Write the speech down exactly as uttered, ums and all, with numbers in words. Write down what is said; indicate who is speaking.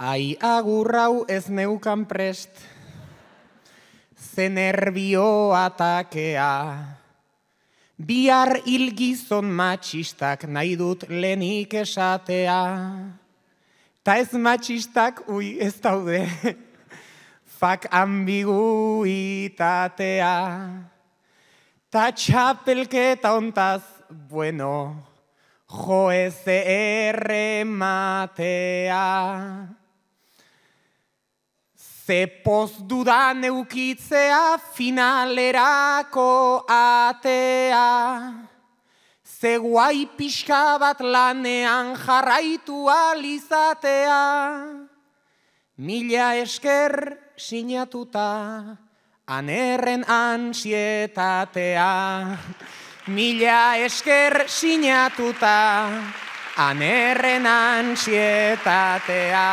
Speaker 1: Ai agurrau ez neukan prest, ze nervio atakea. Bihar hil gizon matxistak nahi dut lehenik esatea. Ta ez matxistak, ui, ez daude, fak ambiguitatea. Ta txapelketa ontaz, bueno, jo ez errematea. Ze poz dudan eukitzea finalerako atea. Ze guai pixka bat lanean jarraitu alizatea. Mila esker sinatuta, anerren ansietatea. Mila esker sinatuta, anerren ansietatea.